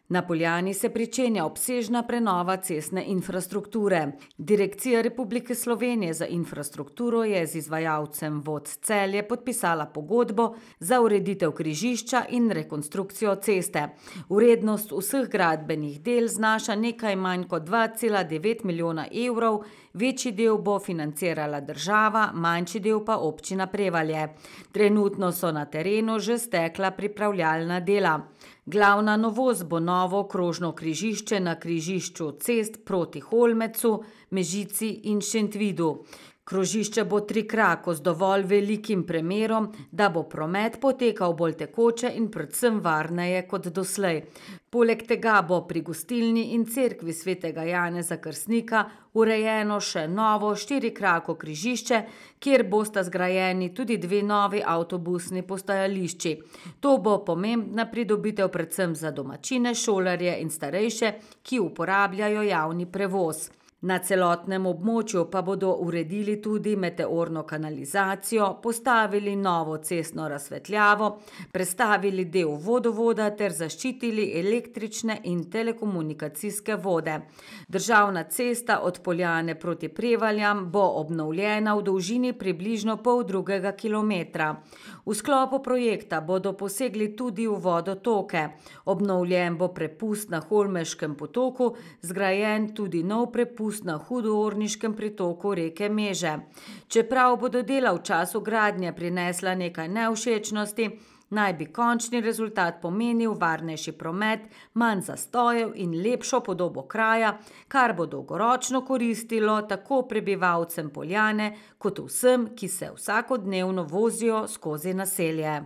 Na Poljani se pričenja obsežna prenova cestne infrastrukture. Direkcija Republike Slovenije za infrastrukturo je z izvajalcem Vod Celje podpisala pogodbo za ureditev križišča in rekonstrukcijo ceste. Vrednost vseh gradbenih del znaša nekaj manj kot 2,9 milijona evrov, večji del bo financirala država, manjši del pa občina Prevalje. Trenutno so na terenu že stekla pripravljalna dela. Glavna novost bo novo krožno križišče na križišču cest proti Holmecu, Mežici in Šentvidu. Krožišče bo trikrako z dovolj velikim premerom, da bo promet potekal bolj tekoče in predvsem varneje kot doslej. Poleg tega bo pri gostilni in cerkvi svetega Janeza Krstnika urejeno še novo štirikrako križišče, kjer bosta zgrajeni tudi dve novi avtobusni postajališči. To bo pomembna pridobitev predvsem za domačine, šolarje in starejše, ki uporabljajo javni prevoz. Na celotnem območju pa bodo uredili tudi meteorno kanalizacijo, postavili novo cestno razsvetljavo, prestavili del vodovoda ter zaščitili električne in telekomunikacijske vode. Državna cesta od Poljane proti Prevaljam bo obnovljena v dolžini približno 0,5 kilometra. V sklopu projekta bodo posegli tudi v vodotoke. Obnovljen bo prepust na Holmeškem potoku, zgrajen tudi nov prepust na Hudourniškem pritoku reke Meže. Čeprav bodo dela v času gradnje prinesla nekaj nevšečnosti, naj bi končni rezultat pomenil varnejši promet, manj zastojev in lepšo podobo kraja, kar bo dolgoročno koristilo tako prebivalcem Poljane kot vsem, ki se vsakodnevno vozijo skozi naselje.